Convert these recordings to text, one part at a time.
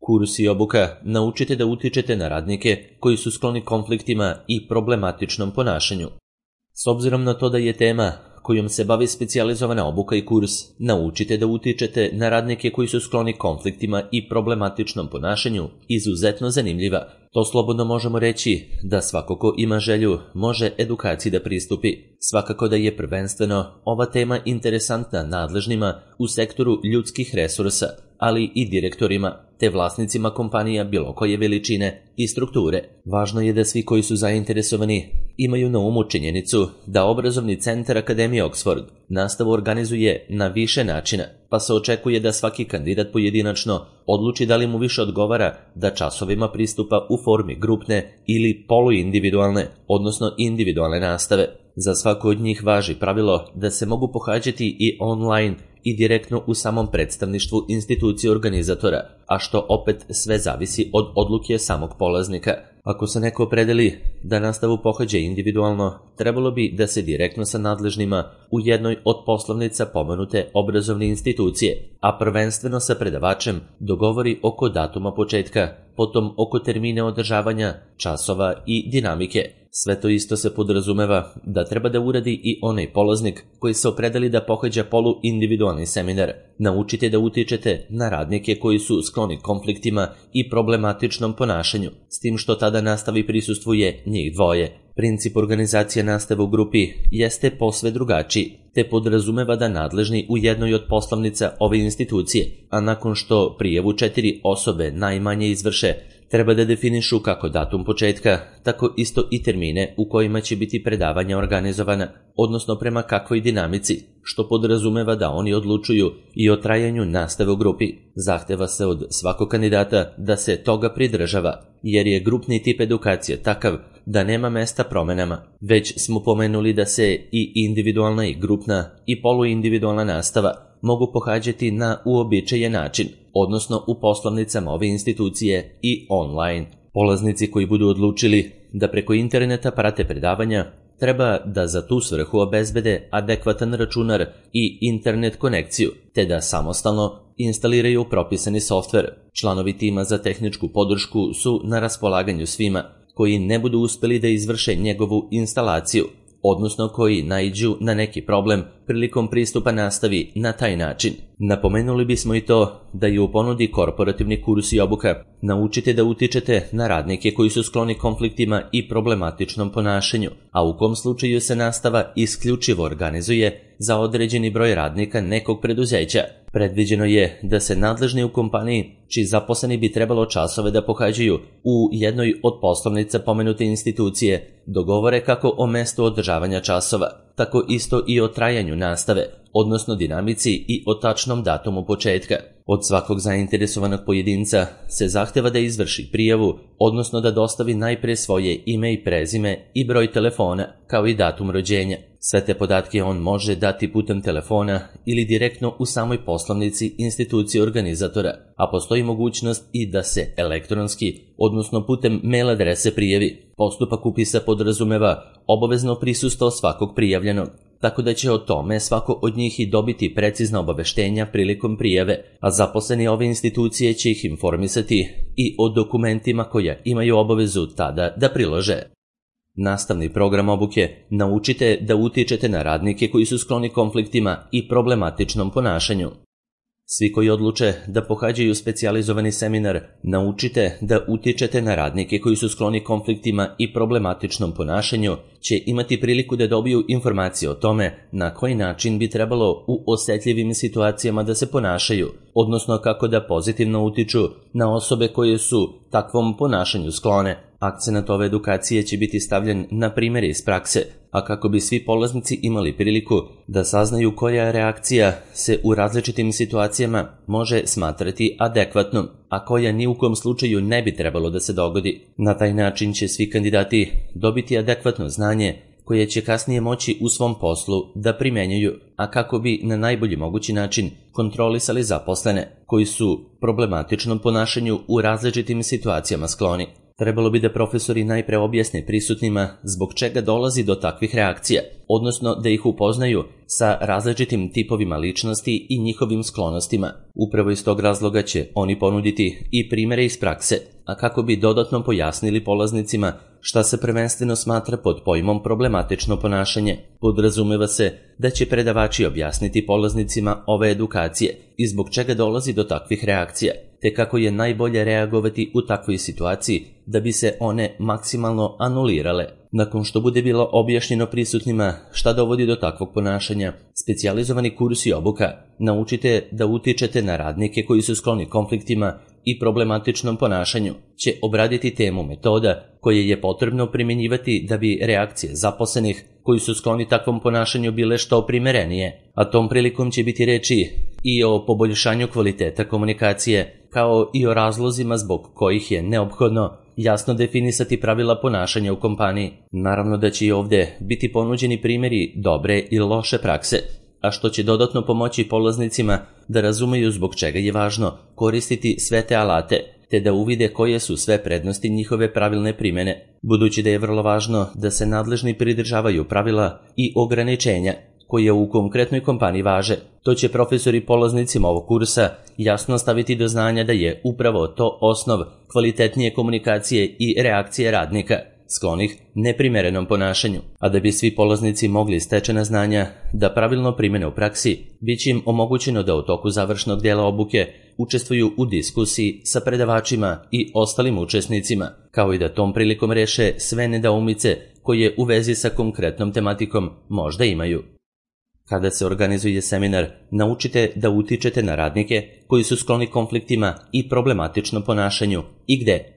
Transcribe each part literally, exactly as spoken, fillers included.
Kurs i obuka naučite da utičete na radnike koji su skloni konfliktima i problematičnom ponašanju. S obzirom na to da je tema kojom se bavi specijalizovana obuka i kurs, naučite da utičete na radnike koji su skloni konfliktima i problematičnom ponašanju, izuzetno zanimljiva. To slobodno možemo reći da svako ko ima želju može edukaciji da pristupi. Svakako da je prvenstveno ova tema interesantna nadležnima u sektoru ljudskih resursa, ali i direktorima te vlasnicima kompanija bilo koje veličine i strukture. Važno je da svi koji su zainteresovani imaju na umu činjenicu da obrazovni centar Akademije Oxford nastavu organizuje na više načina, pa se očekuje da svaki kandidat pojedinačno odluči da li mu više odgovara da časovima pristupa u formi grupne ili poluindividualne, odnosno individualne nastave. Za svako od njih važi pravilo da se mogu pohađati i online i direktno u samom predstavništvu institucije organizatora, a što opet sve zavisi od odluke samog polaznika. Ako se neko opredeli da nastavu pohađa individualno, trebalo bi da se direktno sa nadležnima u jednoj od poslovnica pomenute obrazovne institucije, a prvenstveno sa predavačem dogovori oko datuma početka, potom oko termine održavanja, časova i dinamike. Sve to isto se podrazumeva da treba da uradi i onaj polaznik koji se opredeli da pohađa polu-individualni seminar. Naučite da utičete na radnike koji su skloni konfliktima i problematičnom ponašanju, s tim što tada nastavi prisustvuje njih dvoje. Princip organizacije nastave u grupi jeste posve drugačiji, te podrazumeva da nadležni u jednoj od poslovnica ove institucije, a nakon što prijavu četiri osobe najmanje izvrše, treba da definišu kako datum početka, tako isto i termine u kojima će biti predavanja organizovana, odnosno prema kakvoj dinamici, što podrazumeva da oni odlučuju i o trajanju nastave u grupi. Zahteva se od svakog kandidata da se toga pridržava, jer je grupni tip edukacije takav da nema mesta promenama. Već smo pomenuli da se i individualna i grupna i poluindividualna nastava mogu pohađati na uobičajen način, odnosno u poslovnicama ove institucije i online. Polaznici koji budu odlučili da preko interneta prate predavanja, treba da za tu svrhu obezbede adekvatan računar i internet konekciju, te da samostalno instaliraju propisani softver. Članovi tima za tehničku podršku su na raspolaganju svima koji ne budu uspeli da izvrše njegovu instalaciju, odnosno koji naiđu na neki problem prilikom pristupa nastavi na taj način. Napomenuli bismo i to da je u ponudi korporativni kurs i obuka. Naučite da utičete na radnike koji su skloni konfliktima i problematičnom ponašanju, a u kom slučaju se nastava isključivo organizuje za određeni broj radnika nekog preduzeća. Predviđeno je da se nadležni u kompaniji, čiji zaposleni bi trebalo časove da pohađaju u jednoj od poslovnica pomenute institucije, dogovore kako o mestu održavanja časova, tako isto i o trajanju nastave, odnosno dinamici i o tačnom datumu početka. Od svakog zainteresovanog pojedinca se zahteva da izvrši prijavu, odnosno da dostavi najpre svoje ime i prezime i broj telefona, kao i datum rođenja. Sve te podatke on može dati putem telefona ili direktno u samoj poslovnici institucije organizatora, a postoji mogućnost i da se elektronski, odnosno putem mail adrese prijavi. Postupak upisa podrazumeva obavezno prisustvo svakog prijavljenog, tako da će o tome svako od njih i dobiti precizna obaveštenja prilikom prijave, a zaposleni ove institucije će ih informisati i o dokumentima koja imaju obavezu tada da prilože. Nastavni program obuke. Naučite da utičete na radnike koji su skloni konfliktima i problematičnom ponašanju. Svi koji odluče da pohađaju specijalizovani seminar, naučite da utičete na radnike koji su skloni konfliktima i problematičnom ponašanju, će imati priliku da dobiju informacije o tome na koji način bi trebalo u osetljivim situacijama da se ponašaju, odnosno kako da pozitivno utiču na osobe koje su takvom ponašanju sklone. Akcenat ove edukacije će biti stavljen na primjere iz prakse, a kako bi svi polaznici imali priliku da saznaju koja reakcija se u različitim situacijama može smatrati adekvatnom, a koja ni u kom slučaju ne bi trebalo da se dogodi. Na taj način će svi kandidati dobiti adekvatno znanje koje će kasnije moći u svom poslu da primenjuju, a kako bi na najbolji mogući način kontrolisali zaposlene koji su problematičnom ponašanju u različitim situacijama skloni. Trebalo bi da profesori najpre objasne prisutnima zbog čega dolazi do takvih reakcija, odnosno da ih upoznaju sa različitim tipovima ličnosti i njihovim sklonostima. Upravo iz tog razloga će oni ponuditi i primere iz prakse, a kako bi dodatno pojasnili polaznicima šta se prvenstveno smatra pod pojmom problematično ponašanje. Podrazumeva se da će predavači objasniti polaznicima ove edukacije i zbog čega dolazi do takvih reakcija, te kako je najbolje reagovati u takvoj situaciji da bi se one maksimalno anulirale. Nakon što bude bilo objašnjeno prisutnima šta dovodi do takvog ponašanja, specijalizovani kurs i obuka naučite da utičete na radnike koji su skloni konfliktima i problematičnom ponašanju, će obraditi temu metoda koje je potrebno primjenjivati da bi reakcije zaposlenih koji su skloni takvom ponašanju bile što primerenije, a tom prilikom će biti reči i o poboljšanju kvaliteta komunikacije, kao i o razlozima zbog kojih je neophodno jasno definisati pravila ponašanja u kompaniji. Naravno da će i ovdje biti ponuđeni primjeri dobre i loše prakse, a što će dodatno pomoći polaznicima da razumeju zbog čega je važno koristiti sve te alate, te da uvide koje su sve prednosti njihove pravilne primjene, budući da je vrlo važno da se nadležni pridržavaju pravila i ograničenja koje u konkretnoj kompaniji važe. To će profesori polaznicima ovog kursa jasno staviti do znanja da je upravo to osnov kvalitetnije komunikacije i reakcije radnika sklonih neprimerenom ponašanju. A da bi svi polaznici mogli stečena znanja da pravilno primene u praksi, bit će im omogućeno da u toku završnog dijela obuke učestvuju u diskusiji sa predavačima i ostalim učesnicima, kao i da tom prilikom reše sve nedoumice koje u vezi sa konkretnom tematikom možda imaju. Kada se organizuje seminar, naučite da utičete na radnike koji su skloni konfliktima i problematičnom ponašanju i gde.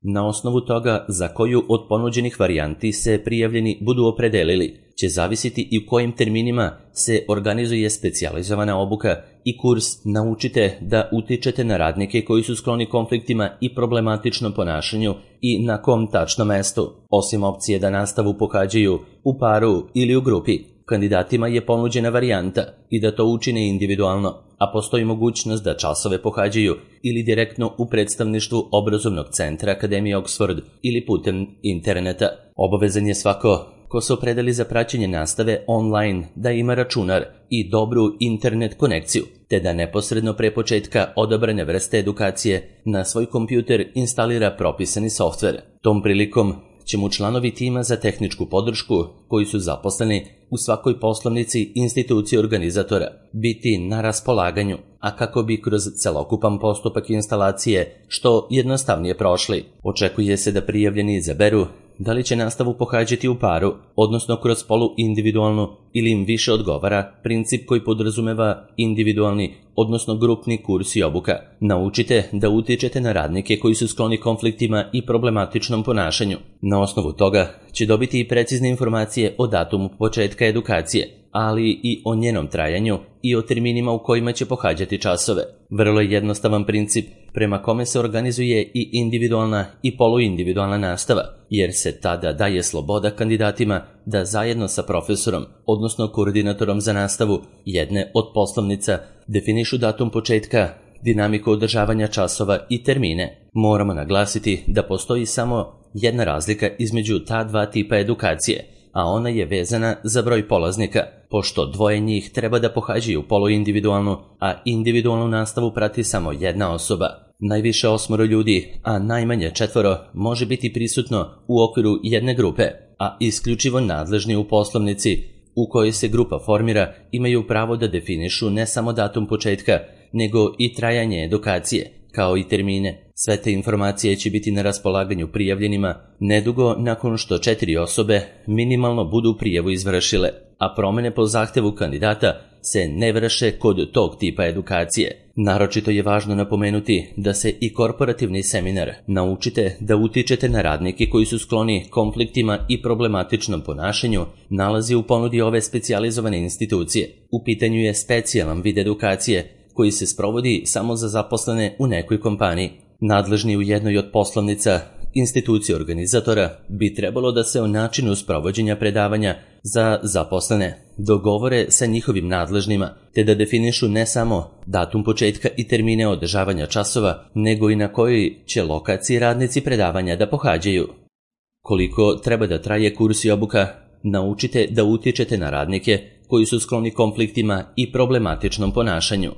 Na osnovu toga za koju od ponuđenih varijanti se prijavljeni budu opredelili, će zavisiti i u kojim terminima se organizuje specijalizovana obuka i kurs naučite da utičete na radnike koji su skloni konfliktima i problematičnom ponašanju i na kom tačno mestu. Osim opcije da nastavu pohađaju u paru ili u grupi, kandidatima je ponuđena varijanta i da to učine individualno, a postoji mogućnost da časove pohađaju ili direktno u predstavništvu obrazovnog centra Akademije Oxford ili putem interneta. Obavezan je svako ko se opredeli za praćenje nastave online da ima računar i dobru internet konekciju, te da neposredno pre početka odabrane vrste edukacije na svoj kompjuter instalira propisani softver. Tom prilikom će mu članovi tima za tehničku podršku, koji su zaposleni u svakoj poslovnici institucije organizatora, biti na raspolaganju, a kako bi kroz celokupan postupak instalacije što jednostavnije prošli. Očekuje se da prijavljeni izaberu da li će nastavu pohađati u paru, odnosno kroz polu-individualnu, ili im više odgovara princip koji podrazumeva individualni, odnosno grupni kurs i obuka. Naučite da utičete na radnike koji su skloni konfliktima i problematičnom ponašanju. Na osnovu toga će dobiti i precizne informacije o datumu početka edukacije, ali i o njenom trajanju i o terminima u kojima će pohađati časove. Vrlo je jednostavan princip prema kome se organizuje i individualna i poluindividualna nastava, jer se tada daje sloboda kandidatima da zajedno sa profesorom, odnosno koordinatorom za nastavu jedne od poslovnica, definišu datum početka, dinamiku održavanja časova i termine. Moramo naglasiti da postoji samo jedna razlika između ta dva tipa edukacije, a ona je vezana za broj polaznika, pošto dvoje njih treba da pohađaju poluindividualnu, a individualnu nastavu prati samo jedna osoba. Najviše osmoro ljudi, a najmanje četvoro, može biti prisutno u okviru jedne grupe, a isključivo nadležni u poslovnici u kojoj se grupa formira imaju pravo da definišu ne samo datum početka, nego i trajanje edukacije, kao i termine. Sve te informacije će biti na raspolaganju prijavljenima nedugo nakon što četiri osobe minimalno budu prijavu izvršile, a promene po zahtevu kandidata se ne vrše kod tog tipa edukacije. Naročito je važno napomenuti da se i korporativni seminar naučite da utičete na radnike koji su skloni konfliktima i problematičnom ponašanju nalazi u ponudi ove specijalizovane institucije. U pitanju je specijalan vid edukacije koji se sprovodi samo za zaposlene u nekoj kompaniji. Nadležni u jednoj od poslovnica institucije organizatora bi trebalo da se o načinu sprovođenja predavanja za zaposlene dogovore sa njihovim nadležnima, te da definišu ne samo datum početka i termine održavanja časova, nego i na kojoj će lokaciji radnici predavanja da pohađaju. Koliko treba da traje kurs i obuka, naučite da utičete na radnike koji su skloni konfliktima i problematičnom ponašanju.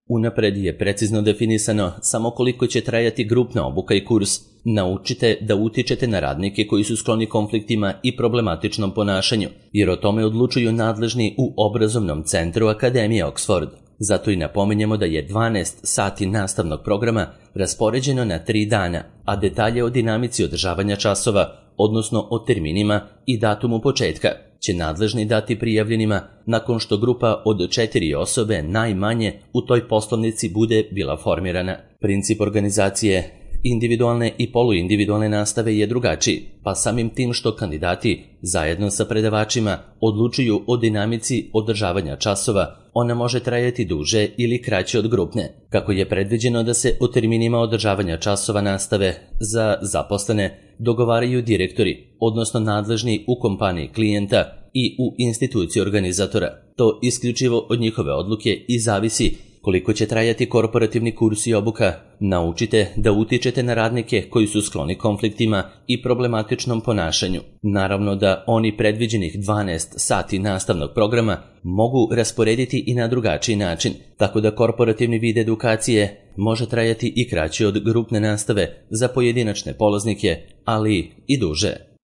Unapred je precizno definisano samo koliko će trajati grupna obuka i kurs. Naučite da utičete na radnike koji su skloni konfliktima i problematičnom ponašanju, jer o tome odlučuju nadležni u obrazovnom centru Akademije Oxford. Zato i napominjemo da je dvanaest sati nastavnog programa raspoređeno na tri dana, a detalje o dinamici održavanja časova, odnosno o terminima i datumu početka, će nadležni dati prijavljenima nakon što grupa od četiri osobe najmanje u toj poslovnici bude bila formirana. Princip organizacije individualne i poluindividualne nastave je drugačiji, pa samim tim što kandidati zajedno sa predavačima odlučuju o dinamici održavanja časova, ona može trajati duže ili kraće od grupne. Kako je predviđeno da se o terminima održavanja časova nastave za zaposlene dogovaraju direktori, odnosno nadležni u kompaniji klijenta i u instituciji organizatora. To isključivo od njihove odluke i zavisi koliko će trajati korporativni kurs i obuka. Naučite da utičete na radnike koji su skloni konfliktima i problematičnom ponašanju. Naravno da oni predviđenih dvanaest sati nastavnog programa mogu rasporediti i na drugačiji način, tako da korporativni vid edukacije može trajati i kraće od grupne nastave za pojedinačne polaznike, ali i duže.